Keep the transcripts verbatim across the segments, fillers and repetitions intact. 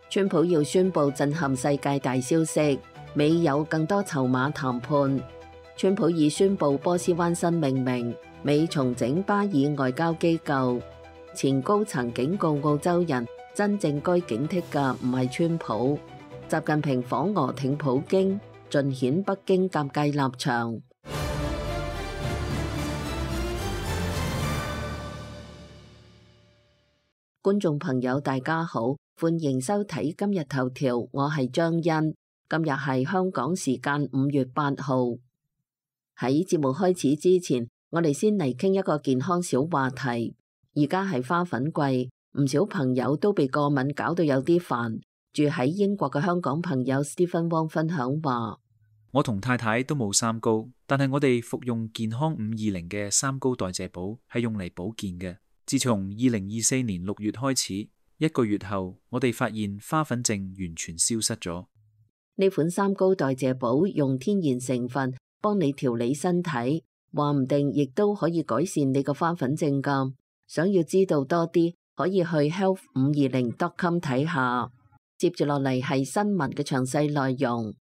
川普要宣布震撼世界大消息，美有更多籌碼談判。川普已宣布波斯灣新命名，美重整巴以外交機構。前高層警告澳洲人，真正該警惕嘅唔係川普。習近平訪俄挺普京，盡顯北京尷尬立場。觀眾朋友大家好，歡迎收睇今日頭條，我係張欣。今日係香港時間五月八號。喺節目開始之前，我哋先嚟傾一個健康小話題。而家係花粉季，唔少朋友都被過敏搞到有啲煩。住喺英國嘅香港朋友 Stephen Wong 分享話：我同太太都冇三高，但係我哋服用健康五二零嘅三高代謝寶係用嚟保健嘅。自從二零二四年六月開始，一個月後，我哋發現花粉症完全消失咗。呢款三高代謝寶用天然成分幫你調理身體，話唔定亦都可以改善你個花粉症㗎。想要知道多啲，可以去 health 五二零 dot com 睇下。接住落嚟係新聞嘅詳細內容。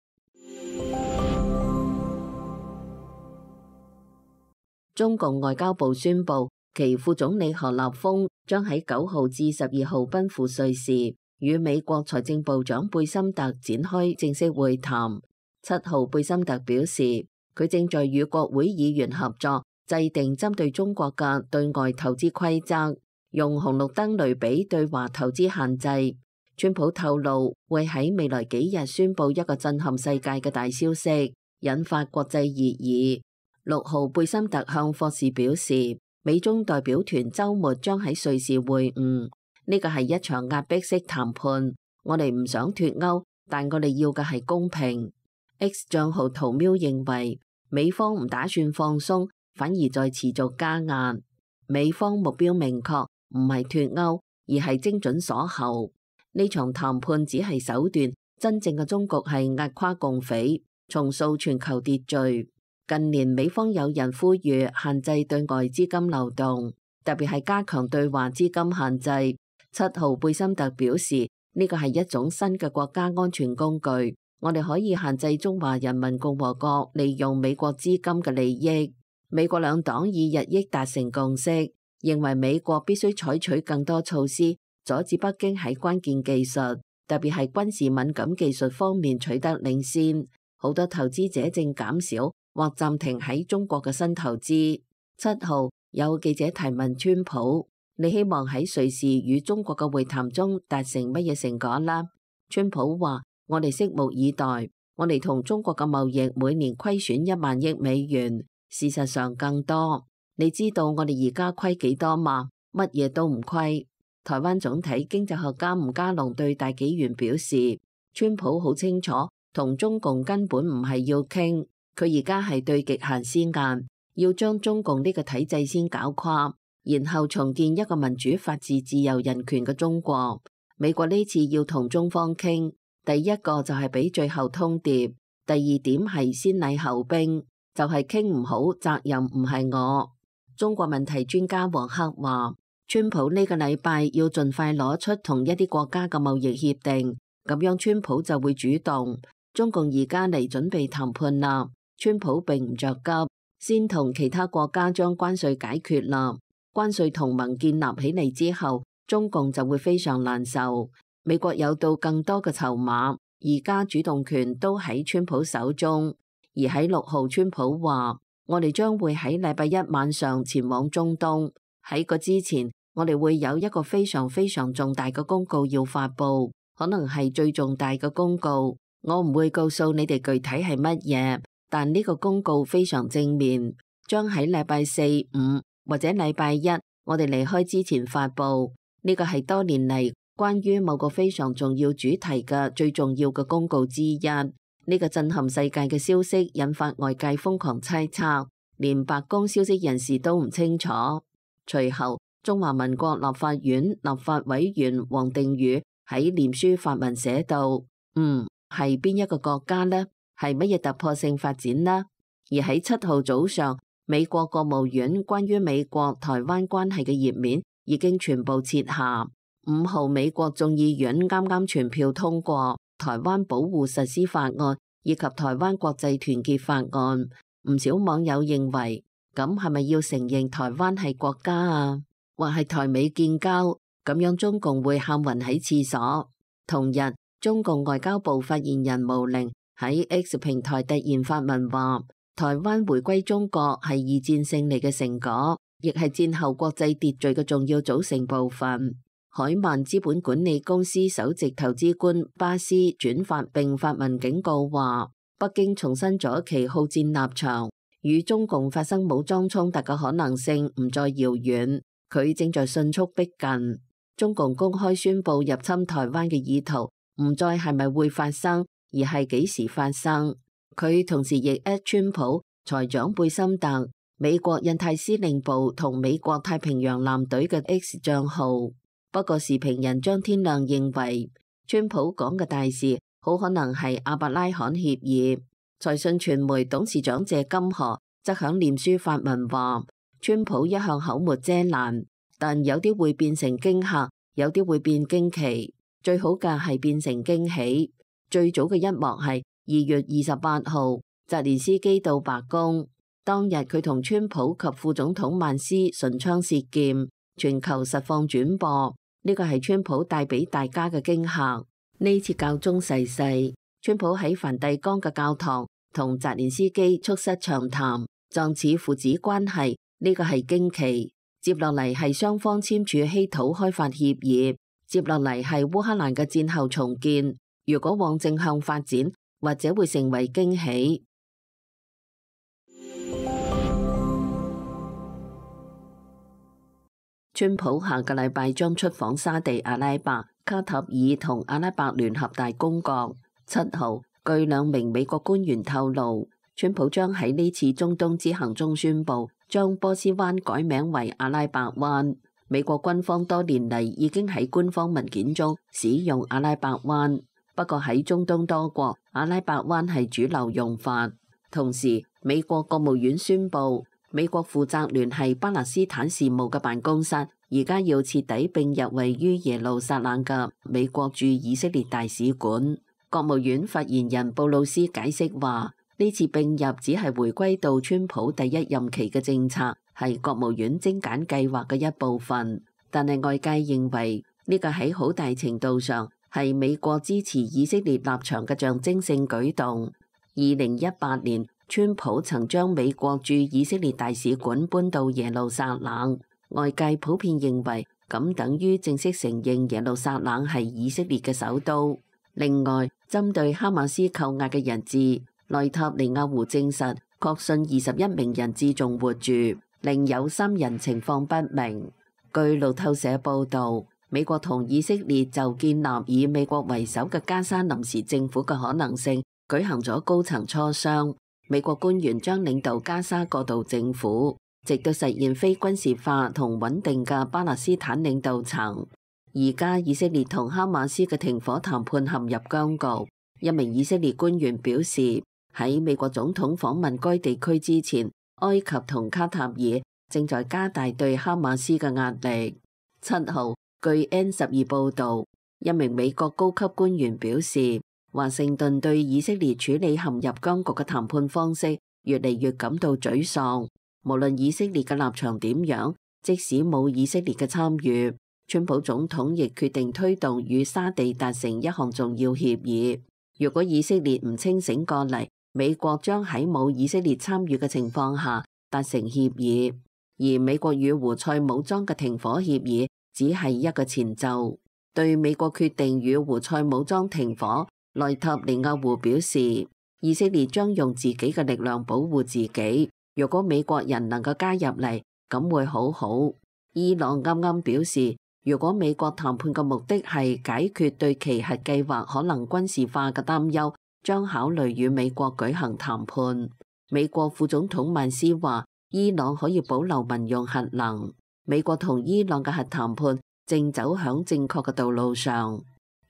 中共外交部宣布，其副總理何立峰將喺九號至十二號奔赴瑞士，與美國財政部長貝森特展開正式會談。七號貝森特表示，佢正在與國會議員合作，制定針對中國嘅對外投資規則，用紅綠燈類比對華投資限制。川普透露會喺未來幾日宣布一個震撼世界嘅大消息，引發國際熱議。六號貝森特向霍士表示，美中代表團週末將喺瑞士會晤，呢個係一場壓迫式談判。我哋唔想脫歐，但我哋要嘅係公平。X 賬號圖喵認為，美方唔打算放鬆，反而在持續加壓。美方目標明確，唔係脫歐，而係精準鎖喉。呢場談判只係手段，真正嘅終局係壓垮共匪，重塑全球秩序。近年美方有人呼籲限制對外資金流動，特別係加強對華資金限制。七號貝森特表示，呢個係一種新嘅國家安全工具，我哋可以限制中華人民共和國利用美國資金嘅利益。美國兩黨已日益達成共識，認為美國必須採取更多措施，阻止北京喺關鍵技術，特別係軍事敏感技術方面取得領先。好多投資者正減少或暫停喺中國嘅新投資。七號有記者提問川普，你希望喺瑞士與中國嘅會談中達成乜嘢成果啦？川普話：我哋拭目以待。我哋同中國嘅貿易每年虧損一萬億美元，事實上更多。你知道我哋而家虧幾多嗎？乜嘢都唔虧。台灣總體經濟學家吳家龍對大紀元表示，川普好清楚，同中共根本唔係要傾。佢而家係對極限施壓，要將中共呢個體制先搞垮，然後重建一個民主、法治、自由、人權嘅中國。美國呢次要同中方傾，第一個就係俾最後通牒，第二點係先禮後兵，就係傾唔好，責任唔係我。中國問題專家黃克話，川普呢個禮拜要盡快攞出同一啲國家嘅貿易協定，咁樣川普就會主動。中共而家嚟準備談判啦。川普並唔着急，先同其他國家將關稅解決啦。關稅同盟建立起嚟之後，中共就會非常難受。美國有到更多嘅籌碼，而家主動權都喺川普手中。而喺六號，川普話：我哋將會喺禮拜一晚上前往中東。喺個之前，我哋會有一個非常非常重大嘅公告要發佈，可能係最重大嘅公告。我唔會告訴你哋具體係乜嘢。但呢個公告非常正面，將喺禮拜四、五或者禮拜一，我哋離開之前發佈。呢個係多年嚟關於某個非常重要主題嘅最重要嘅公告之一。呢個震撼世界嘅消息引發外界瘋狂猜測，連白宮消息人士都唔清楚。隨後，中華民國立法院立法委員王定宇喺臉書發文寫道：嗯，係邊一個國家呢？係乜嘢突破性發展呢？而喺七號早上，美國國務院關於美國台灣關係嘅頁面已經全部撤下。五號美國眾議院啱啱全票通過台灣保護實施法案以及台灣國際團結法案。唔少網友認為，咁係咪要承認台灣係國家啊？或係台美建交，咁樣中共會喊暈喺廁所。同日，中共外交部發言人毛寧喺 X 平台突然發文話，台灣回歸中國係二戰勝利嘅成果，亦係戰後國際秩序嘅重要組成部分。海曼資本管理公司首席投資官巴斯轉發並發文警告話，北京重申咗其好戰立場，與中共發生武裝衝突嘅可能性唔再遙遠，佢正在迅速逼近。中共公開宣布入侵台灣嘅意圖唔再係咪會發生，而係幾時發生。佢同時亦 at 川普、財長貝森特、美國印太司令部同美國太平洋艦隊嘅 X 賬號。不過時評人張天亮認為，川普講嘅大事好可能係亞伯拉罕協議。財訊傳媒董事長謝金河則響臉書發文話，川普一向口沒遮攔，但有啲會變成驚嚇，有啲會變驚奇，最好嘅係變成驚喜。最早嘅一幕係二月二十八號，澤連斯基到白宮，當日佢同川普及副總統曼斯唇槍舌劍，全球實況轉播。呢個係川普帶俾大家嘅驚嚇。呢次教宗逝世，川普喺梵蒂岡嘅教堂同澤連斯基促膝長談，狀似父子關係。呢個係驚奇。接落嚟係雙方簽署稀土開發協議，接落嚟係烏克蘭嘅戰後重建。如果往正向發展，或者會成為驚喜。川普下個禮拜將出訪沙地阿拉伯、卡塔爾同阿拉伯聯合大公國。七號，據兩名美國官員透露，川普將喺呢次中東之行中宣布將波斯灣改名為阿拉伯灣。美國軍方多年嚟已經喺官方文件中使用阿拉伯灣，不過喺中東多國，阿拉伯灣係主流用法。同時，美國國務院宣布，美國負責聯繫巴勒斯坦事務嘅辦公室，而家要徹底並入位於耶路撒冷嘅美國駐以色列大使館。國務院發言人布魯斯解釋話，呢次並入只係回歸到川普第一任期嘅政策，係國務院精簡計劃嘅一部分。但係外界認為呢個喺好大程度上係美國支持以色列立場嘅象徵性舉動。二零一八年，川普曾將美國駐以色列大使館搬到耶路撒冷，外界普遍認為咁等於正式承認耶路撒冷係以色列嘅首都。另外，針對哈馬斯扣押嘅人質，內塔尼亞胡證實確信二十一名人質仲活住，另有三人情況不明。據路透社報導，美國同以色列就建立以美國為首嘅加沙臨時政府嘅可能性舉行咗高層磋商。美國官員將領導加沙過渡政府，直到實現非軍事化同穩定嘅巴勒斯坦領導層。而家以色列同哈馬斯嘅停火談判陷入僵局。一名以色列官員表示，喺美國總統訪問該地區之前，埃及同卡塔爾正在加大對哈馬斯嘅壓力。七號，據 N 十二報導，一名美國高級官員表示，華盛頓對以色列處理陷入僵局嘅談判方式越嚟越感到沮喪。無論以色列嘅立場點樣，即使冇以色列嘅參與，川普總統亦決定推動與沙地達成一項重要協議。如果以色列唔清醒過嚟，美國將喺冇以色列參與嘅情況下達成協議。而美國與胡塞武裝嘅停火協議只係一個前奏。對美國決定與胡塞武裝停火，內塔尼亞胡表示，以色列將用自己嘅力量保護自己。如果美國人能夠加入嚟，咁會好好。伊朗啱啱表示，如果美國談判嘅目的係解決對其核計劃可能軍事化嘅擔憂，將考慮與美國舉行談判。美國副總統曼斯話，伊朗可以保留民用核能。美國同伊朗嘅核談判正走向正確嘅道路上。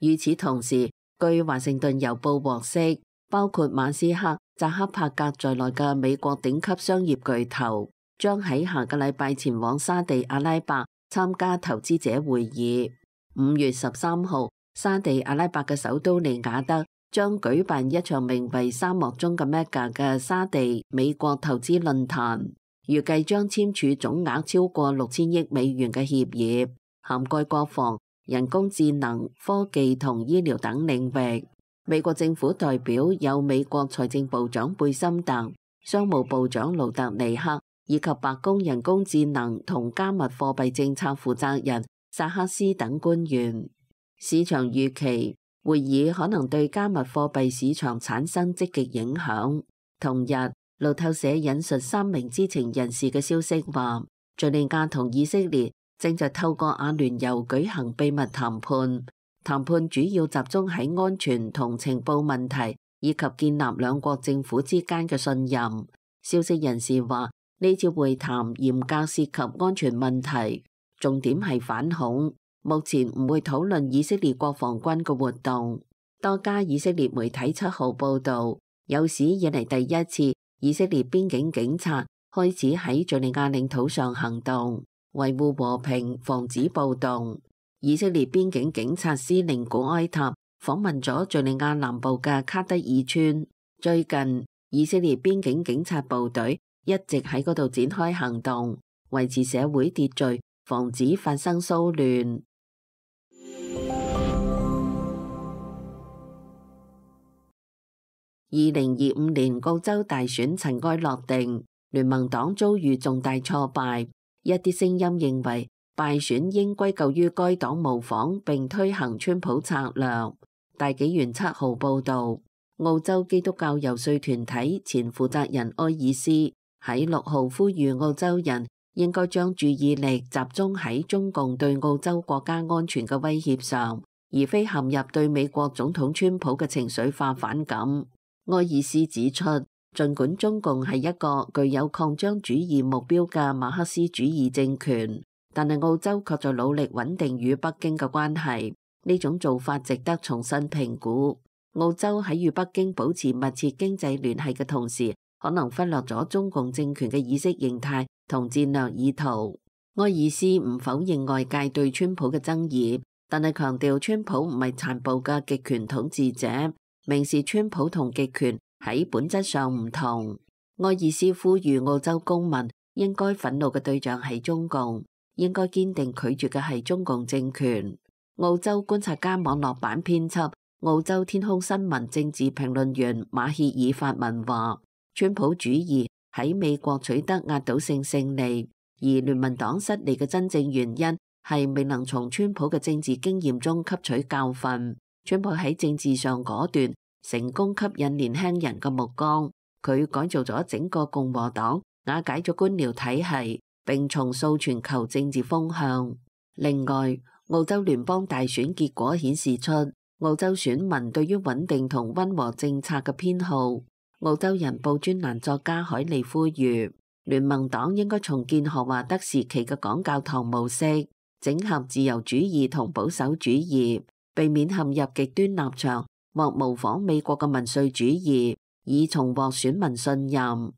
與此同時，據華盛頓郵報獲悉，包括馬斯克、扎克伯格在內嘅美國頂級商業巨頭將喺下個禮拜前往沙地阿拉伯參加投資者會議。五月十三號，沙地阿拉伯嘅首都利雅得將舉辦一場名為沙漠中嘅 Mecca 嘅沙地美國投資論壇，預計將簽署總額超過六千億美元嘅協議，涵蓋國防、人工智能、科技同醫療等領域。美國政府代表有美國財政部長貝森特、商務部長盧特尼克以及白宮人工智能同加密貨幣政策負責人薩克斯等官員。市場預期會議可能對加密貨幣市場產生積極影響。同日，路透社引述三名知情人士嘅消息話，敘利亞同以色列正在透過阿聯酋舉行秘密談判，談判主要集中喺安全同情報問題，以及建立兩國政府之間嘅信任。消息人士話，呢次會談嚴格涉及安全問題，重點係反恐。目前唔會討論以色列國防軍嘅活動。多家以色列媒體七號報導，有史以嚟第一次以色列邊境警察開始喺敘利亞領土上行動，維護和平，防止暴動。以色列邊境警察司令古埃塔訪問咗敘利亞南部嘅卡德爾村。最近，以色列邊境警察部隊一直喺嗰度展開行動，維持社會秩序，防止發生騷亂。二零二五年澳洲大選塵埃落定，聯盟黨遭遇重大挫敗。一啲聲音認為敗選應歸咎於該黨模仿並推行川普策略。大紀元七號報導，澳洲基督教遊說團體前負責人埃爾斯喺六號呼籲澳洲人應該將注意力集中喺中共對澳洲國家安全嘅威脅上，而非陷入對美國總統川普嘅情緒化反感。埃爾斯指出，儘管中共係一個具有擴張主義目標嘅馬克思主義政權，但係澳洲卻在努力穩定與北京嘅關係。呢種做法值得重新評估。澳洲喺與北京保持密切經濟聯繫嘅同時，可能忽略咗中共政權嘅意識形態同戰略意圖。埃爾斯唔否認外界對川普嘅爭議，但係強調川普唔係殘暴嘅極權統治者。明示川普同極權喺本質上唔同。埃爾斯呼籲澳洲公民應該憤怒嘅對象係中共，應該堅定拒絕嘅係中共政權。澳洲觀察家網絡版編輯、澳洲天空新聞政治評論員馬歇爾發文話，川普主義喺美國取得壓倒性勝利，而聯盟黨失利嘅真正原因係未能從川普嘅政治經驗中吸取教訓。川普喺政治上果斷，成功吸引年輕人嘅目光。佢改造咗整個共和黨，瓦解咗官僚體系，並重塑全球政治風向。另外，澳洲聯邦大選結果顯示出澳洲選民對於穩定同溫和政策嘅偏好。澳洲人報專欄作家海利呼籲，聯盟黨應該重建荷華德時期嘅講教堂模式，整合自由主義同保守主義，避免陷入極端立場或模仿美國嘅民粹主義，以重獲選民信任。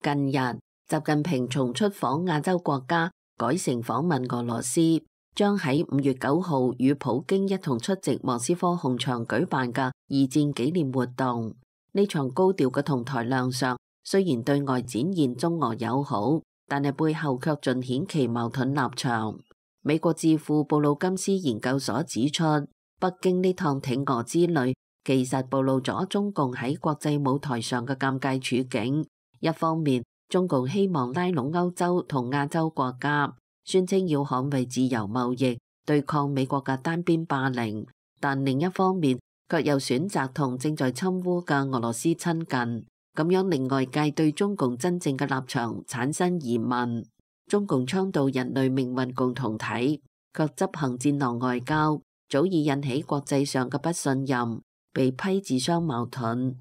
近日，習近平從出訪亞洲國家改成訪問俄羅斯，將喺五月九號與普京一同出席莫斯科紅場舉辦嘅二戰紀念活動。呢場高調嘅同台亮相，雖然對外展現中俄友好，但係背後卻盡顯其矛盾立場。美國智庫布魯金斯研究所指出，北京呢趟挺俄之旅其實暴露咗中共喺國際舞台上嘅尷尬處境。一方面，中共希望拉攏歐洲同亞洲國家，宣稱要捍衛自由貿易，對抗美國嘅單邊霸凌；但另一方面，卻又選擇同正在侵烏嘅俄羅斯親近，咁樣令外界對中共真正嘅立場產生疑問。中共倡導人類命運共同體，卻執行戰狼外交，早已引起國際上嘅不信任，被批自相矛盾。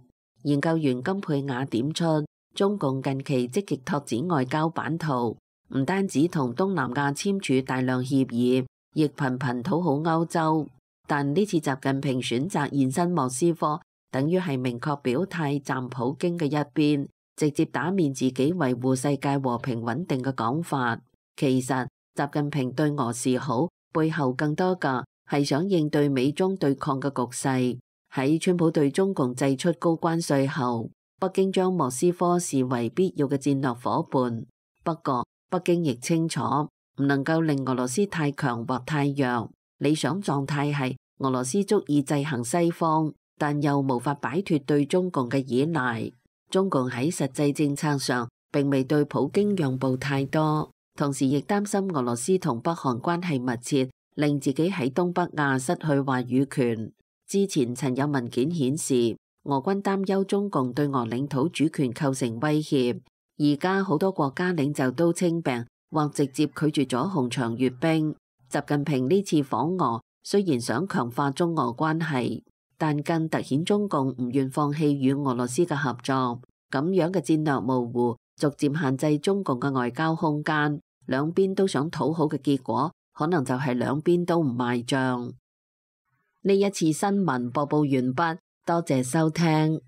研究員金佩雅點出，中共近期積極拓展外交版圖，唔單止同東南亞簽署大量協議，亦頻頻討好歐洲。但呢次習近平選擇現身莫斯科，等於係明確表態站普京嘅一邊，直接打面自己維護世界和平穩定嘅講法。其實習近平對俄示好，背後更多嘅係想應對美中對抗嘅局勢。喺川普對中共祭出高關稅後，北京將莫斯科視為必要嘅戰略夥伴。不過北京亦清楚唔能夠令俄羅斯太強或太弱。理想狀態係俄羅斯足以制衡西方，但又無法擺脫對中共嘅依賴。中共喺實際政策上並未對普京讓步太多，同時亦擔心俄羅斯同北韓關係密切，令自己喺東北亞失去話語權。之前曾有文件顯示，俄軍擔憂中共對俄領土主權構成威脅。而家好多國家領袖都稱病或直接拒絕咗紅場閱兵。習近平呢次訪俄，雖然想強化中俄關係，但更凸顯中共唔願放棄與俄羅斯嘅合作。咁樣嘅戰略模糊，逐漸限制中共嘅外交空間。兩邊都想討好嘅結果，可能就係兩邊都唔賣賬。呢一次新聞播報完畢，多謝收聽。